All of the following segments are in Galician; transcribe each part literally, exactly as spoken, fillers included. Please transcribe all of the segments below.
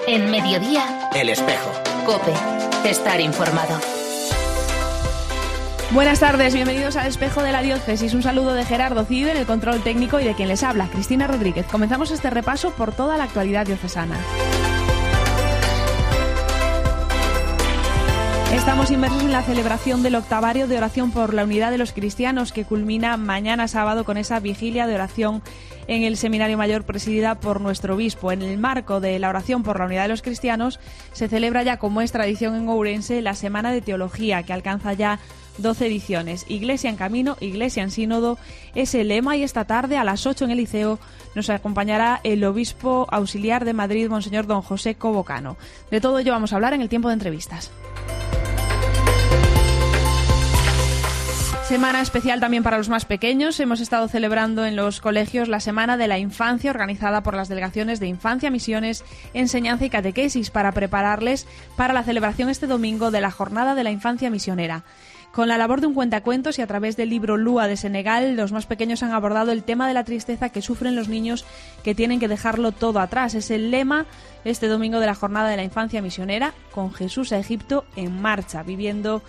En Mediodía, El Espejo. COPE. Estar informado. Buenas tardes, bienvenidos al Espejo de la Diócesis. Un saludo de Gerardo Cid en el control técnico y de quien les habla, Cristina Rodríguez. Comenzamos este repaso por toda la actualidad diocesana. Estamos inmersos en la celebración del octavario de oración por la unidad de los cristianos, que culmina mañana sábado con esa vigilia de oración en el Seminario Mayor presidida por nuestro obispo. En el marco de la oración por la unidad de los cristianos se celebra ya, como es tradición en Ourense, la Semana de Teología, que alcanza ya doce ediciones. Iglesia en camino, Iglesia en sínodo es el lema, y esta tarde a las ocho en el Liceo nos acompañará el obispo auxiliar de Madrid, Monseñor don José Cobocano. De todo ello vamos a hablar en el tiempo de entrevistas. Semana especial también para los más pequeños. Hemos estado celebrando en los colegios la Semana de la Infancia, organizada por las delegaciones de Infancia, Misiones, Enseñanza y Catequesis, para prepararles para la celebración este domingo de la Jornada de la Infancia Misionera. Con la labor de un cuentacuentos y a través del libro Lua de Senegal, los más pequeños han abordado el tema de la tristeza que sufren los niños que tienen que dejarlo todo atrás. Es el lema este domingo de la Jornada de la Infancia Misionera, con Jesús a Egipto en marcha, viviendo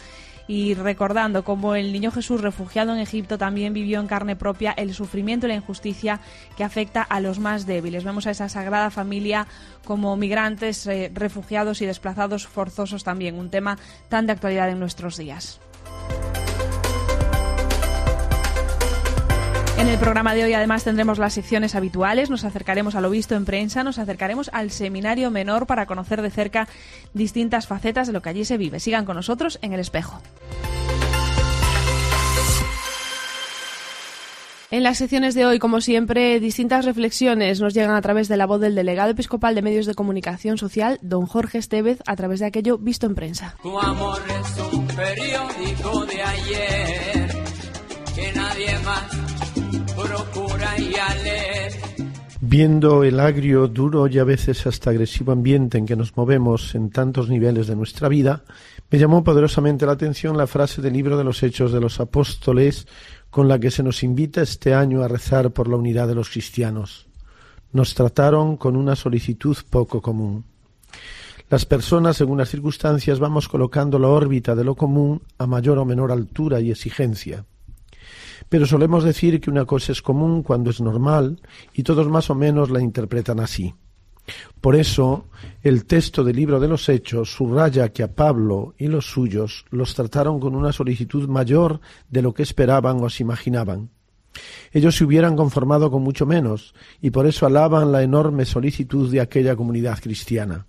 y recordando cómo el niño Jesús, refugiado en Egipto, también vivió en carne propia el sufrimiento y la injusticia que afecta a los más débiles. Vemos a esa Sagrada Familia como migrantes, eh, refugiados y desplazados forzosos también, un tema tan de actualidad en nuestros días. En el programa de hoy además tendremos las secciones habituales, nos acercaremos a lo visto en prensa, nos acercaremos al Seminario Menor para conocer de cerca distintas facetas de lo que allí se vive. Sigan con nosotros en El Espejo. En las secciones de hoy, como siempre, distintas reflexiones nos llegan a través de la voz del delegado episcopal de Medios de Comunicación Social, don Jorge Estevez, a través de aquello visto en prensa. Tu amor es un periódico de ayer que nadie más procura y a leer. Viendo el agrio, duro y a veces hasta agresivo ambiente en que nos movemos en tantos niveles de nuestra vida, me llamó poderosamente la atención la frase del libro de los Hechos de los Apóstoles con la que se nos invita este año a rezar por la unidad de los cristianos. Nos trataron con una solicitud poco común. Las personas, según las circunstancias, vamos colocando la órbita de lo común a mayor o menor altura y exigencia. Pero solemos decir que una cosa es común cuando es normal, y todos más o menos la interpretan así. Por eso, el texto del libro de los Hechos subraya que a Pablo y los suyos los trataron con una solicitud mayor de lo que esperaban o se imaginaban. Ellos se hubieran conformado con mucho menos, y por eso alaban la enorme solicitud de aquella comunidad cristiana.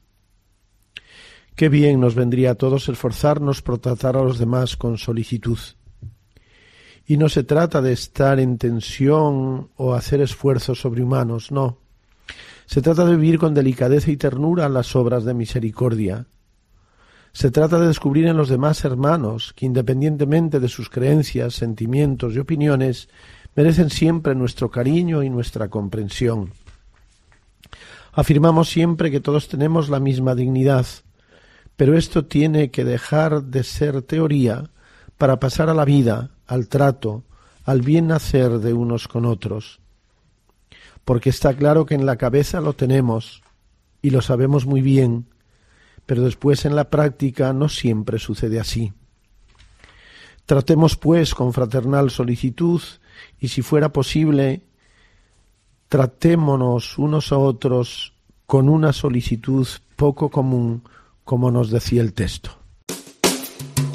Qué bien nos vendría a todos esforzarnos por tratar a los demás con solicitud. Y no se trata de estar en tensión o hacer esfuerzos sobrehumanos, no. Se trata de vivir con delicadeza y ternura las obras de misericordia. Se trata de descubrir en los demás hermanos que, independientemente de sus creencias, sentimientos y opiniones, merecen siempre nuestro cariño y nuestra comprensión. Afirmamos siempre que todos tenemos la misma dignidad, pero esto tiene que dejar de ser teoría para pasar a la vida, al trato, al bien hacer de unos con otros. Porque está claro que en la cabeza lo tenemos y lo sabemos muy bien, pero después en la práctica no siempre sucede así. Tratemos pues con fraternal solicitud y, si fuera posible, tratémonos unos a otros con una solicitud poco común, como nos decía el texto.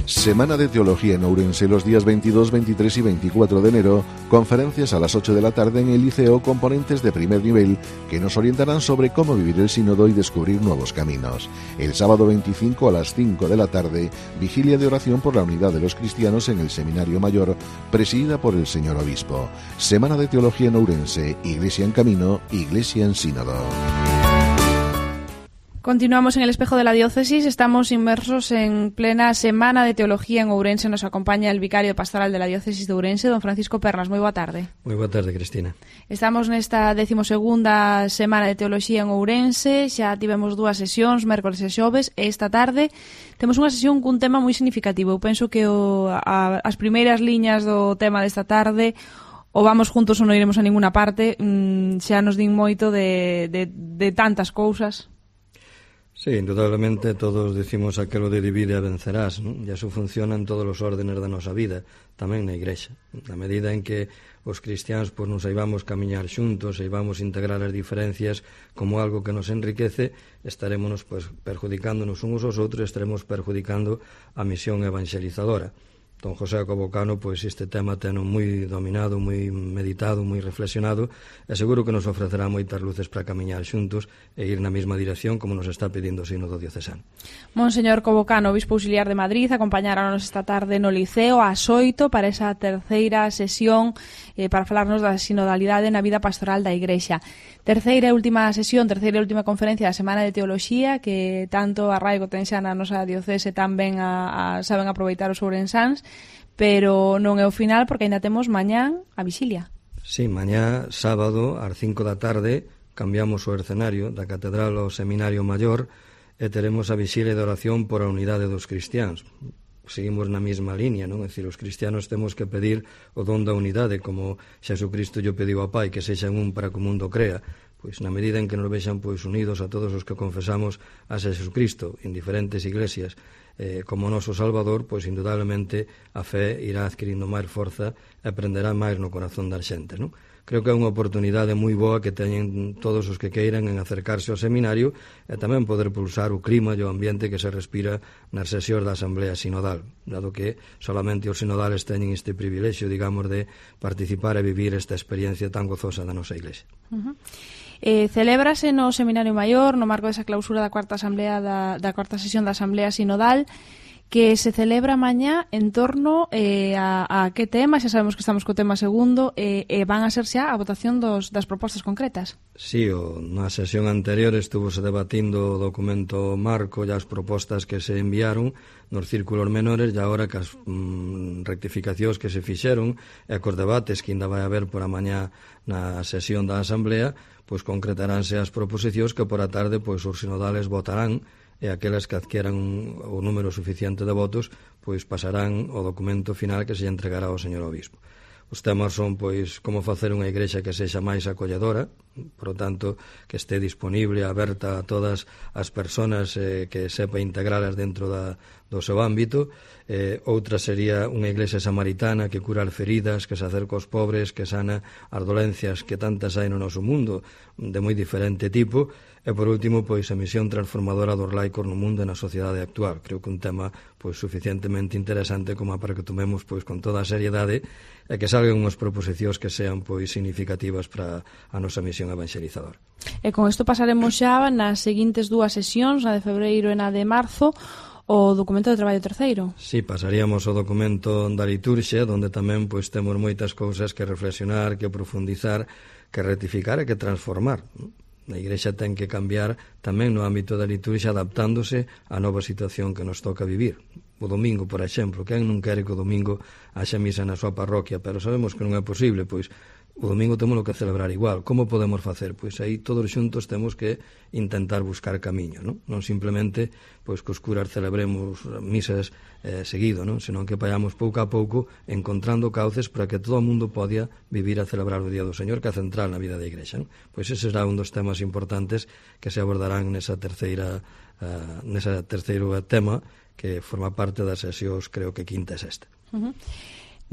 Semana de Teología en Ourense los días veintidós, veintitrés y veinticuatro de enero, conferencias a las ocho de la tarde en el Liceo con ponentes de primer nivel que nos orientarán sobre cómo vivir el sínodo y descubrir nuevos caminos. El sábado veinticinco a las cinco de la tarde, vigilia de oración por la unidad de los cristianos en el Seminario Mayor, presidida por el señor obispo. Semana de Teología en Ourense, Iglesia en camino, Iglesia en sínodo. Continuamos en el Espejo de la Diócesis, estamos inmersos en plena Semana de Teología en Ourense. Nos acompaña el vicario pastoral de la Diócesis de Ourense, don Francisco Pernas. Moi boa tarde. Moi boa tarde, Cristina. Estamos nesta decimosegunda Semana de Teología en Ourense, xa tivemos dúas sesións, mércoles e xoves, e esta tarde temos unha sesión cun tema moi significativo. Eu penso que o, a, as primeiras liñas do tema desta tarde, o vamos juntos ou non iremos a ninguna parte, mm, xa nos din moito de, de, de tantas cousas. Sí, indudablemente todos decimos aquelo de divide e vencerás, non? E eso funciona en todos os órdenes da nosa vida, tamén na Igrexa. Na medida en que os cristiáns pois, nos saibamos camiñar xuntos, saibamos integrar as diferencias como algo que nos enriquece, estaremos pois, perjudicándonos uns aos outros, estaremos perjudicando a misión evangelizadora. Don José Cobocano, pois este tema teno moi dominado, moi meditado, moi reflexionado, e seguro que nos ofrecerá moitas luces para camiñar xuntos e ir na mesma dirección como nos está pedindo o Sínodo Diocesano. Monseñor Cobocano, obispo auxiliar de Madrid, acompañáranos esta tarde no Liceo ás oito para esa terceira sesión eh, para falarnos da sinodalidade na vida pastoral da Igrexa. Terceira e última sesión, terceira e última conferencia da Semana de Teoloxía, que tanto arraigo ten xa na nosa diocese tamén a, a, saben aproveitar os ourensáns, pero non é o final porque aínda temos mañán a vixilia. Sí, mañá, sábado, ás cinco da tarde, cambiamos o escenario da Catedral ao Seminario Maior e teremos a vixilia de oración por a unidade dos cristiáns. Seguimos na mesma línea, non? É dicir, os cristianos temos que pedir o don da unidade, como Xesucristo lle pediu ao Pai, que sexan un para que o mundo crea. Pois na medida en que nos vexan pois unidos a todos os que confesamos a Xesucristo en diferentes iglesias eh, como noso Salvador, pois indudablemente a fe irá adquirindo máis forza e prenderá máis no corazón das xentes, non? Creo que é unha oportunidade moi boa que teñen todos os que queiran en acercarse ao seminario e tamén poder pulsar o clima e o ambiente que se respira nas sesións da Asamblea Sinodal, dado que solamente os sinodales teñen este privilexio, digamos, de participar e vivir esta experiencia tan gozosa da nosa Iglesia. Uh-huh. Eh, celébrase no Seminario Maior, no marco desa clausura da cuarta asamblea da, da cuarta sesión da Asamblea Sinodal, que se celebra mañá en torno eh, a, a que tema, xa sabemos que estamos co tema segundo, e eh, eh, van a ser xa a votación dos, das propostas concretas. Sí, o, na sesión anterior estuvose debatindo o documento marco e as propostas que se enviaron nos círculos menores e agora que as mm, rectificacións que se fixeron e cos debates que ainda vai haber por a mañá na sesión da Asamblea, pois concretaránse as proposicións que por a tarde pois os sinodales votarán e aquelas que adquieran o número suficiente de votos pois pasarán ao documento final que se entregará ao señor obispo. Os temas son pois como facer unha igrexa que sexa máis acolledora, por lo tanto que este disponible, aberta a todas as persoas eh, que sepa integralas dentro da, do seu ámbito. Eh, outra sería unha iglesia samaritana que cura as feridas, que se acerca aos pobres, que sana as dolencias que tantas hai no noso mundo de moi diferente tipo. E por último, pois a misión transformadora dos laicos no mundo e na sociedade actual. Creo que un tema pois suficientemente interesante como para que tomemos pois con toda a seriedade e que salgan unhas proposicións que sean pois significativas para a nosa misión evangelizadora. E con isto pasaremos xa nas seguintes dúas sesións, na de febreiro e na de marzo, o documento de traballo terceiro. Sí, pasaríamos ao documento da liturxia, onde tamén pois temos moitas cousas que reflexionar, que profundizar, que rectificar e que transformar. A Igrexa ten que cambiar tamén no ámbito da liturxia adaptándose á nova situación que nos toca vivir. O domingo, por exemplo, quen non quere que o domingo haxa misa na súa parroquia, pero sabemos que non é posible, pois o domingo temos que celebrar igual. Como podemos facer? Pois aí todos xuntos temos que intentar buscar camiño, non? Non simplemente pois que os curas celebremos misas eh, seguido, non? Senón que vayamos pouco a pouco encontrando cauces para que todo o mundo podia vivir a celebrar o Día do Señor, que é central na vida da Igrexa, non? Pois ese será un dos temas importantes que se abordarán nesa terceira uh, nesa terceiro tema que forma parte das sesións, creo que quinta e sexta. Uh-huh.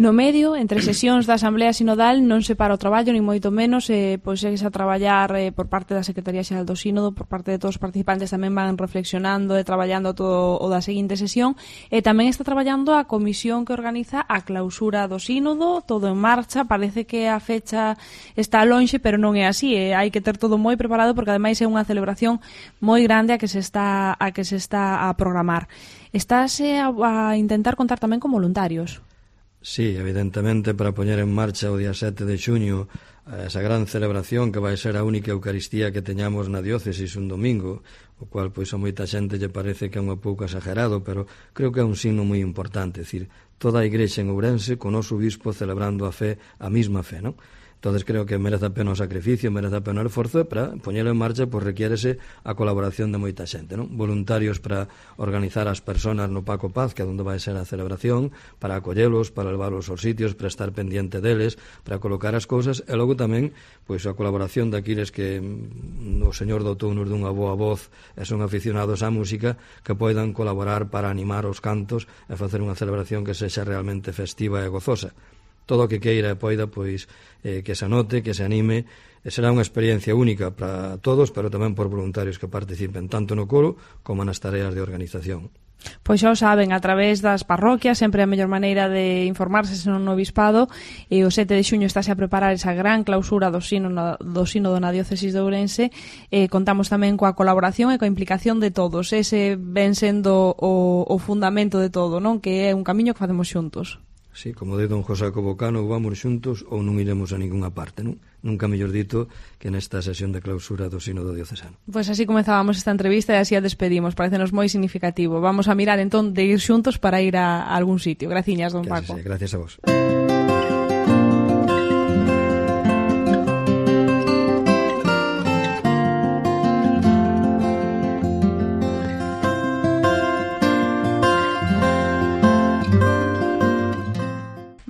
No medio, entre sesións da Asamblea Sinodal, non se para o traballo, ni moito menos, eh, pois segues a traballar eh, por parte da Secretaría Xeral do Sínodo, por parte de todos os participantes tamén van reflexionando e traballando todo o da seguinte sesión, e tamén está traballando a comisión que organiza a clausura do Sínodo, todo en marcha, parece que a fecha está lonxe, pero non é así, eh, hai que ter todo moi preparado porque ademais é unha celebración moi grande a que se está a que se está a programar. Estáse a, a intentar contar tamén con voluntarios. Sí, evidentemente, para poñer en marcha o día sete de xuño esa gran celebración que vai ser a única Eucaristía que teñamos na diócesis un domingo, o cual pois a moita xente lle parece que é un pouco exagerado, pero creo que é un signo moi importante, é dicir, toda a Igrexa en Ourense con o noso bispo celebrando a fe, a mesma fe, non? Entonces creo que merece a pena o sacrificio, merece a pena o esforzo, e para poñelo en marcha pois requiérese a colaboración de moita xente, non? Voluntarios para organizar as persoas no Paco Paz, que é onde vai ser a celebración, para acollelos, para levarlos aos sitios, para estar pendiente deles, para colocar as cousas, e logo tamén pois a colaboración daquiles que mm, o señor doutor nos dunha boa voz e son aficionados á música, que poidan colaborar para animar os cantos e facer unha celebración que sexa realmente festiva e gozosa. Todo o que queira e poida, pois, eh, que se anote, que se anime, e será unha experiencia única para todos, pero tamén por voluntarios que participen tanto no coro como nas tareas de organización. Pois xa o saben, a través das parroquias sempre a mellor maneira de informarse senón no obispado, e o sete de xuño estáse a preparar esa gran clausura do sínodo, do sínodo na diócesis de Ourense. E contamos tamén coa colaboración e coa implicación de todos, ese ven sendo o, o fundamento de todo, non? Que é un camiño que facemos xuntos. Sí, como de don José Cobocano, vamos xuntos ou non iremos a ninguna parte, non? Nunca mellor dito que nesta sesión de clausura do sínodo diocesano. Pois así comezábamos esta entrevista e así a despedimos, parecenos moi significativo. Vamos a mirar entón de ir xuntos para ir a, a algún sitio. Graciñas, don Paco. Sí, gracias a vos.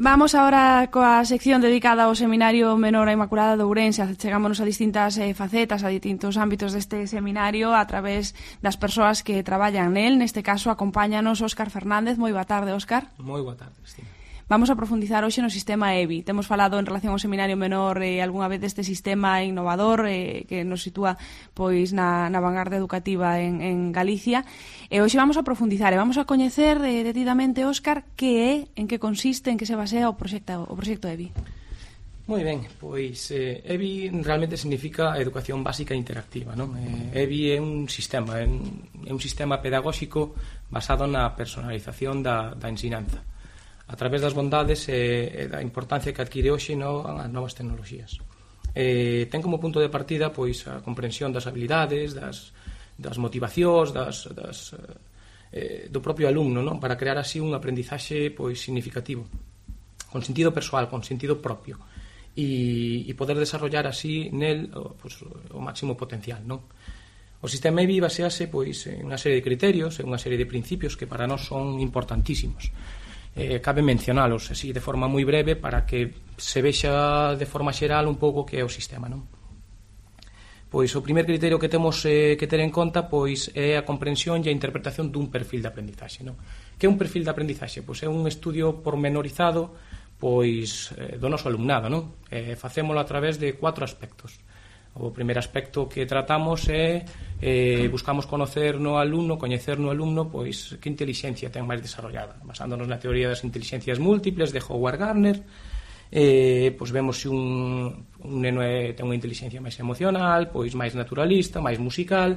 Vamos agora coa sección dedicada ao Seminario Menor a Inmaculada de Ourense. Chegámonos a distintas eh, facetas, a distintos ámbitos deste seminario a través das persoas que traballan nel. Neste caso, acompáñanos Óscar Fernández. Moi boa tarde, Óscar. Moi boa tarde, Cristina. Vamos a profundizar hoxe no sistema E B I. Temos falado en relación ao Seminario Menor eh, algunha vez deste sistema innovador eh, que nos sitúa pois na, na vanguardia educativa en, en Galicia. E hoxe vamos a profundizar e vamos a coñecer eh, detidamente, Óscar, que é, en que consiste, en que se basea o proxecto, o proxecto E B I. Moi ben, pois eh, E B I realmente significa Educación Básica Interactiva, non? Eh, E B I é un sistema, é un, é un sistema pedagóxico basado na personalización da, da ensinanza, a través das bondades e, e da importancia que adquire hoxe no, as novas tecnoloxías. Eh, ten como punto de partida pois a comprensión das habilidades, das, das motivacións, das, das, eh, do propio alumno, non? Para crear así un aprendizaxe pois significativo, con sentido persoal, con sentido propio, e, e poder desarrollar así nel o, pois, o máximo potencial, non? O sistema E B I basease pois en unha serie de criterios, en unha serie de principios que para nós son importantísimos. Eh, cabe mencionalos así de forma moi breve para que se vexa de forma xeral un pouco que é o sistema, non? Pois o primer criterio que temos eh, que ter en conta pois é a comprensión e a interpretación dun perfil de aprendizaxe, non? Que é un perfil de aprendizaxe? Pois é un estudio pormenorizado pois eh, do noso alumnado, non? Eh, facémolo a través de cuatro aspectos. O primeiro aspecto que tratamos é eh, buscamos conocer no alumno, coñecer no alumno pois que intelixencia ten máis desarrollada, basándonos na teoría das intelixencias múltiples de Howard Gardner. Eh, pois vemos se un, un neno é, ten unha intelixencia máis emocional, pois máis naturalista, máis musical.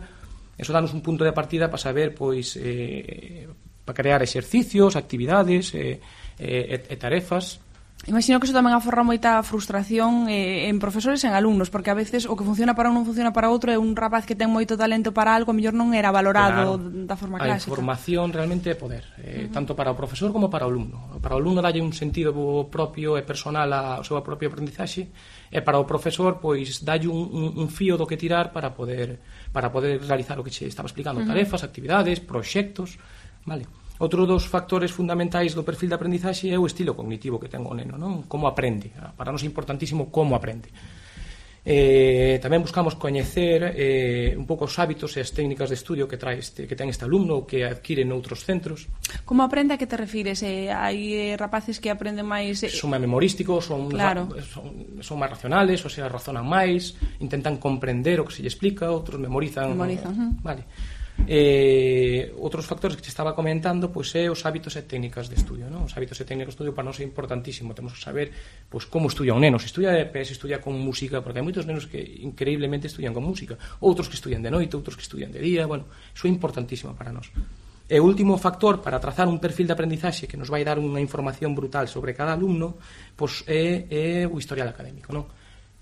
Eso danos un punto de partida para saber pois eh, para crear exercicios, actividades eh, eh, e tarefas. Imagino que iso tamén aforra moita frustración eh, en profesores e en alumnos, porque a veces o que funciona para un non funciona para outro, é un rapaz que ten moito talento para algo, a mellor non era valorado claro, da forma clásica. A información realmente é poder, eh, uh-huh. tanto para o profesor como para o alumno. Para o alumno dalle un sentido propio e personal ao seu propio aprendizaxe, e para o profesor pois dalle un, un, un fío do que tirar para poder para poder realizar o que che estaba explicando, uh-huh. tarefas, actividades, proxectos, vale? Outro dos factores fundamentais do perfil de aprendizaxe é o estilo cognitivo que ten o neno, non? Como aprende. Para nós é importantísimo como aprende. Eh, tamén buscamos coñecer eh, un pouco os hábitos e as técnicas de estudio que trae este, que ten este alumno ou que adquire noutros centros. Como aprende, a que te refires? Eh, hai eh, rapaces que aprenden máis... Eh... Son máis memorísticos, son, claro. son, son máis racionales, ou sea, razonan máis, intentan comprender o que se lle explica, outros memorizan. Memorizan, uh-huh. Vale. Eh, outros factores que te estaba comentando pois é os hábitos e técnicas de estudio, non? Os hábitos e técnicas de estudio para nós é importantísimo. Temos que saber pois como estudia un neno, se estudia de pé, se estudia con música, porque hai moitos nenos que increíblemente estudian con música, outros que estudian de noite, outros que estudian de día. Bueno, iso é importantísimo para nós. E o último factor para trazar un perfil de aprendizaxe que nos vai dar unha información brutal sobre cada alumno pois é, é o historial académico, non?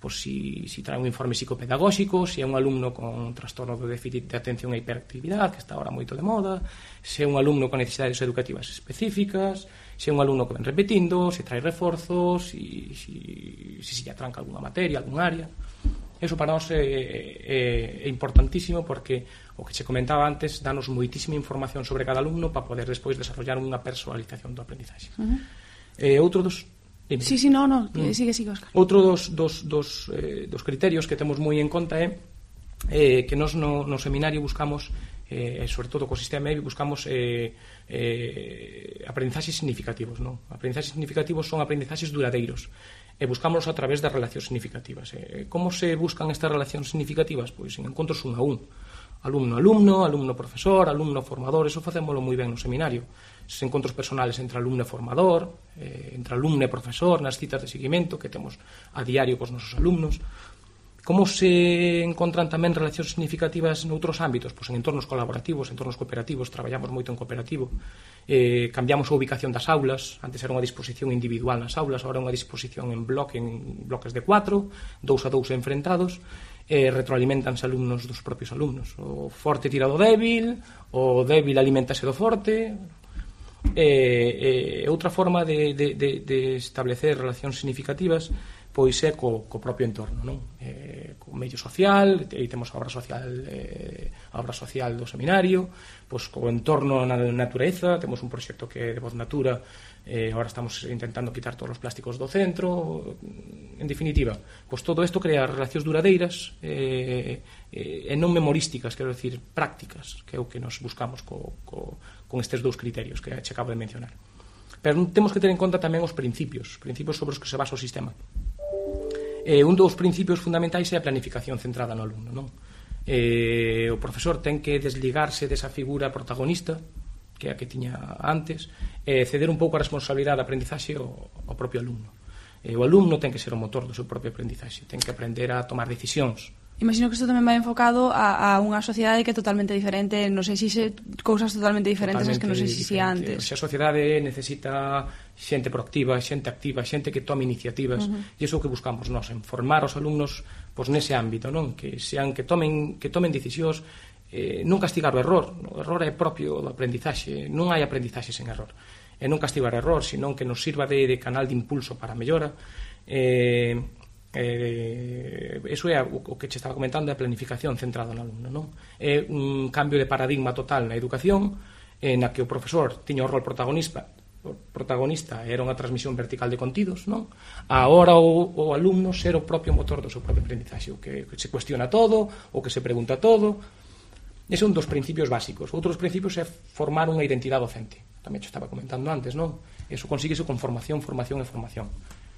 pois si, si trae un informe psicopedagóxico, se é un alumno con trastorno de déficit de atención e hiperactividade, que está ahora moito de moda, se é un alumno con necesidades educativas específicas, se é un alumno que ven repetindo, se trae reforzos, se si, si, si, si atranca alguna materia, algún área. Eso para nós é, é, é importantísimo, porque o que che comentaba antes, danos moitísima información sobre cada alumno para poder despois desarrollar unha personalización do aprendizaxe. Uh-huh. eh, outro dos Dime. Sí, sí, no, no, mm. sigue, sigue, Óscar. Outro dos, dos, dos, eh, dos criterios que temos moi en conta é eh, que nós no, no seminario buscamos, eh, sobre todo co sistema E B I, buscamos eh, eh, aprendizaxes significativos, non? Aprendizaxes significativos son aprendizaxes duradeiros, e buscámoslos a través das relacións significativas. Eh, como se buscan estas relacións significativas? Pois en encontros un a un. Alumno-alumno, alumno-profesor, alumno-formador, eso facémolo moi ben no seminario. Esos encontros personales entre alumno e formador, eh, entre alumno e profesor, nas citas de seguimento que temos a diario cos nosos alumnos. Como se encontran tamén relacións significativas noutros ámbitos? Pois en entornos colaborativos, entornos cooperativos, traballamos moito en cooperativo. Eh, cambiamos a ubicación das aulas, antes era unha disposición individual nas aulas, agora é unha disposición en bloque, en bloques de cuatro, dous a dous enfrentados, eh, retroalimentanse alumnos dos propios alumnos. O forte tira do débil, o débil alimentase do forte. E eh, eh, outra forma de, de, de, de establecer relacións significativas pois é co, co propio entorno, non? Eh, co medio social, e temos a obra social eh, a obra social do seminario, pois co entorno na natureza, temos un proxecto que é de Voz Natura, eh, agora estamos intentando quitar todos os plásticos do centro. En definitiva, pois todo isto crea relacións duradeiras eh, eh, e non memorísticas, quero decir, prácticas, que é o que nos buscamos co, co, con estes dous criterios que che acabo de mencionar. Pero temos que ter en conta tamén os principios, principios sobre os que se basa o sistema. Eh, un dos principios fundamentais é a planificación centrada no alumno, non? Eh, o profesor ten que desligarse desa figura protagonista, que é a que tiña antes, e ceder un pouco a responsabilidade da aprendizaxe ao, ao propio alumno. Eh, o alumno ten que ser o motor do seu propio aprendizaxe, ten que aprender a tomar decisións. Imagino que isto tamén vai enfocado a, a unha sociedade que é totalmente diferente, non sei se se cousas totalmente diferentes totalmente as que non sei se si antes. A sociedade necesita xente proactiva, xente activa, xente que tome iniciativas, uh-huh. e iso é o que buscamos nós, en formar os alumnos pois nese ámbito, non? Que sean que tomen que tomen decisións, eh, non castigar o error. O error é propio do aprendizaxe, non hai aprendizaxe sen error. E non castigar o error, senón que nos sirva de, de canal de impulso para a mellora. Eh, Eh, eso é o que che estaba comentando, a planificación centrada no alumno, non? É un cambio de paradigma total na educación, na que o profesor tiña o rol protagonista o protagonista era unha transmisión vertical de contidos, non? Agora o, o alumno ser o propio motor do seu propio aprendizaxe, o que, que se cuestiona todo, o que se pregunta todo. Ese é un dos principios básicos. Outros principios é formar unha identidade docente, tamén che estaba comentando antes, non? Eso consíguese con formación, formación e formación.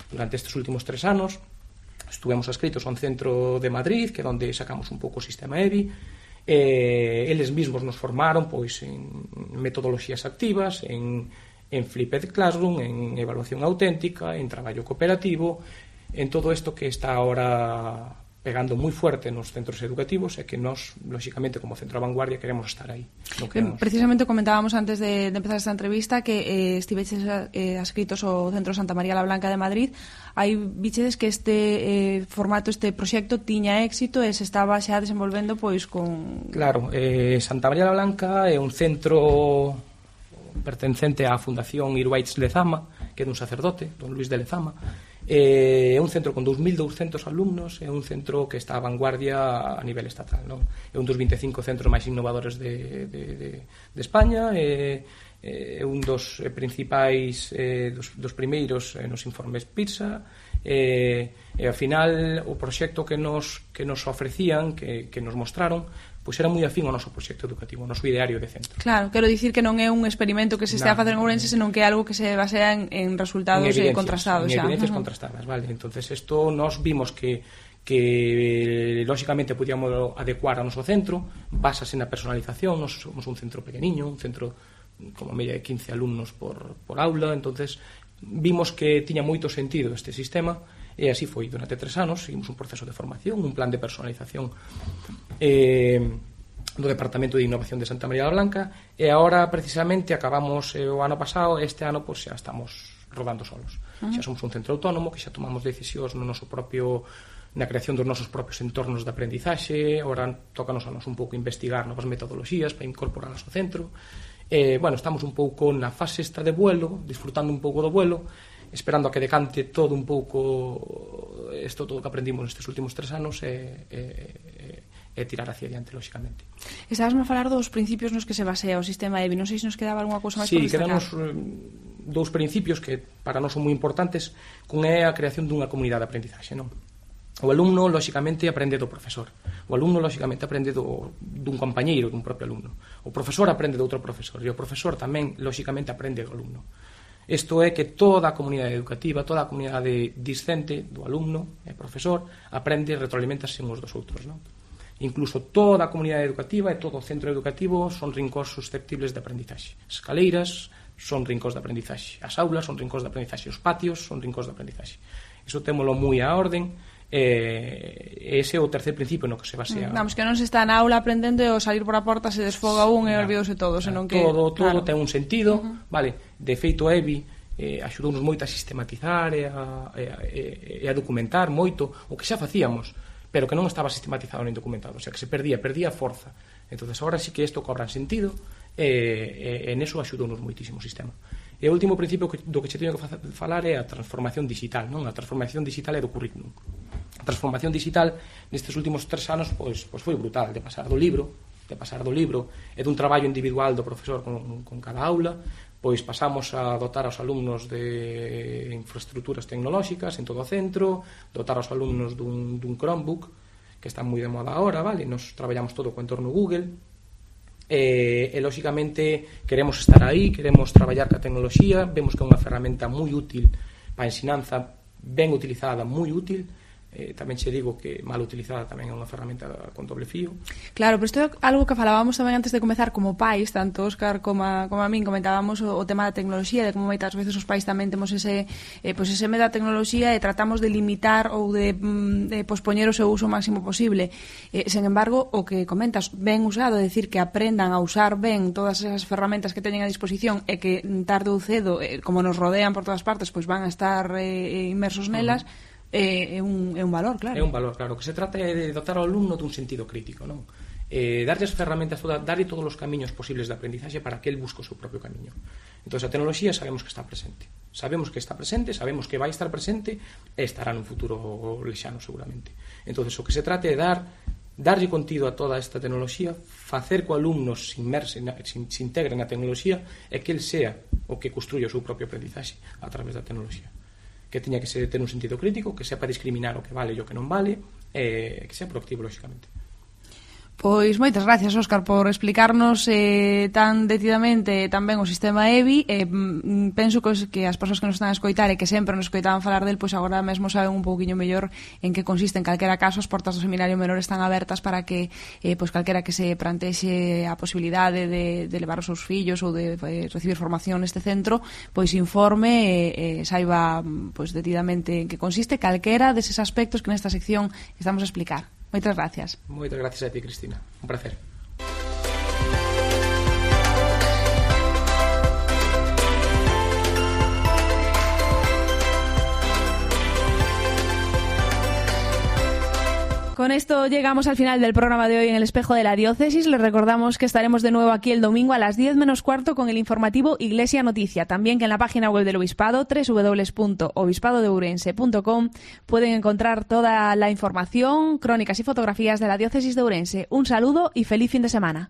Durante estes últimos tres anos estuvemos adscritos a un centro de Madrid, que é onde sacamos un pouco o sistema E B I, e eles mesmos nos formaron pois en metodoloxías activas, en, en Flipped Classroom, en evaluación auténtica, en traballo cooperativo, en todo isto que está ahora pegando moi fuerte nos centros educativos e que nós, lóxicamente, como centro de vanguardia queremos estar aí. No queremos... Precisamente comentábamos antes de, de empezar esta entrevista que eh, estiveches eh, adscritos ao Centro Santa María la Blanca de Madrid. Hai bichedes que este eh, formato, este proxecto tiña éxito e se estaba xa desenvolvendo pois con... Claro, eh, Santa María la Blanca é un centro pertencente á Fundación Irwaitz Lezama, que é dun sacerdote, don Luis de Lezama. É un centro con dous mil douscentos alumnos, é un centro que está a vanguardia a nivel estatal, non? É un dos vinte e cinco centros máis innovadores de, de, de, de España, é, é un dos principais eh, dos, dos primeiros eh, nos informes PISA, e, e ao final o proxecto que nos, que nos ofrecían, que, que nos mostraron, pois era moi afín ao noso proxecto educativo, ao noso ideario de centro. Claro, quero dicir que non é un experimento que se estea a facer en Ourense, senón que é algo que se basea en, en resultados en contrastados. En xa. evidencias Uh-huh. contrastadas, vale. Entonces isto nos vimos que que lóxicamente podíamos adecuar ao noso centro, basase na personalización. Nos somos un centro pequeniño, un centro como media de quince alumnos por, por aula, entonces vimos que tiña moito sentido este sistema. E así foi durante tres anos, seguimos un proceso de formación, un plan de personalización eh, do Departamento de Innovación de Santa María la Blanca, e agora precisamente acabamos eh, o ano pasado, este ano pois xa estamos rodando solos. Uh-huh. Xa somos un centro autónomo, que xa tomamos decisións no noso propio na creación dos nosos propios entornos de aprendizaxe. Agora tócanos a nos un pouco investigar novas metodoloxías para incorporalas ao centro. Eh, bueno, estamos un pouco na fase esta de vuelo, disfrutando un pouco do vuelo, esperando a que decante todo un pouco isto todo que aprendimos nestes últimos tres anos e, e, e tirar hacia adiante, lóxicamente. Estabas a falar dos principios nos que se basea o sistema E B I. Non sei se nos quedaba algunha cousa máis sí, por destacar. Sí, quedanos dous principios que para nós son moi importantes, con é a creación dunha comunidade de aprendizaxe, non? O alumno, lóxicamente, aprende do profesor. O alumno, lóxicamente, aprende do, dun compañeiro, dun propio alumno. O profesor aprende do outro profesor. E o profesor tamén, lóxicamente, aprende do alumno. Isto é que toda a comunidade educativa, toda a comunidade discente do alumno e profesor aprende e retroalimentase uns dos outros, non? Incluso toda a comunidade educativa e todo o centro educativo son rincóns susceptibles de aprendizaxe. As escaleiras son rincóns de aprendizaxe. As aulas son rincóns de aprendizaxe. Os patios son rincóns de aprendizaxe. Iso témolo moi a orden. Eh, ese é o terceiro principio no que se basea. Vamos, que non se está na aula aprendendo e ao salir por a porta se desfoga un e olvidouse todo, senón que todo, todo claro. ten un sentido, uh-huh. Vale? De feito, E B I eh, axudounos moito a sistematizar e a, e, a, e a documentar moito o que xa facíamos, pero que non estaba sistematizado nin documentado, o sea, que se perdía, perdía forza. Entonces, agora sí que isto cobra sentido e, e, e neso axudounos moitísimo o sistema. E o último principio que, do que che teño que falar é a transformación digital, non? A transformación digital é do currículum. A transformación digital nestes últimos tres anos pois, pois foi brutal, de pasar do libro de pasar do libro e dun traballo individual do profesor con, con cada aula, pois pasamos a dotar aos alumnos de infraestructuras tecnolóxicas en todo o centro, dotar aos alumnos dun, dun Chromebook, que está moi de moda agora, vale? Nos traballamos todo co entorno Google, e, e lóxicamente queremos estar aí, queremos traballar ca tecnoloxía, vemos que é unha ferramenta moi útil para a ensinanza, ben utilizada, moi útil. Eh, tamén che digo que mal utilizada tamén é unha ferramenta con doble fío. Claro, pero isto é algo que falábamos tamén antes de comezar como pais, tanto Óscar como a, como a min comentábamos o, o tema da tecnoloxía, de como moitas veces os pais tamén temos ese eh, pues ese medo da tecnoloxía e tratamos de limitar ou de, de pospoñer o seu uso o máximo posible. Eh, sen embargo, o que comentas, ben usado, é dicir, que aprendan a usar ben todas esas ferramentas que teñen a disposición e que tarde ou cedo, eh, como nos rodean por todas partes, pois van a estar eh, inmersos nelas. Uh-huh. É un, é un valor, claro. É un valor, claro. O que se trata é de dotar ao alumno dun sentido crítico, non? Eh, darlle as ferramentas, toda, darlle todos os camiños posibles de aprendizaxe para que el busque o seu propio camiño. Entón, a tecnoloxía sabemos que está presente. Sabemos que está presente, sabemos que vai estar presente e estará nun futuro lexano, seguramente. Entón, o que se trata é dar darlle contido a toda esta tecnoloxía, facer que o alumno se inmerse, se, se integre na tecnoloxía e que el sea o que construya o seu propio aprendizaxe a través da tecnoloxía. Que teña que ser, ter un sentido crítico, que sepa discriminar o que vale e o que non vale, e que sea proactivo, lóxicamente. Pois moitas gracias, Óscar, por explicarnos eh, tan detidamente tamén o sistema E B I. Eh, penso que, que as persoas que nos están a escoitar e que sempre nos escoitaban falar del, pois agora mesmo saben un pouquiño mellor en que consiste. En calquera caso, as portas do Seminario Menor están abertas para que eh, pois calquera que se plantexe a posibilidade de, de levar os seus fillos ou de eh, recibir formación neste centro, pois informe e eh, saiba pois detidamente en que consiste calquera deses aspectos que nesta sección estamos a explicar. Moitas gracias. Moitas gracias a ti, Cristina. Un placer. Con esto llegamos al final del programa de hoy en el Espejo de la Diócesis. Les recordamos que estaremos de nuevo aquí el domingo a las diez menos cuarto con el informativo Iglesia Noticia. También que en la página web del Obispado, doble u doble u doble u punto obispado de ourense punto com, pueden encontrar toda la información, crónicas y fotografías de la Diócesis de Ourense. Un saludo y feliz fin de semana.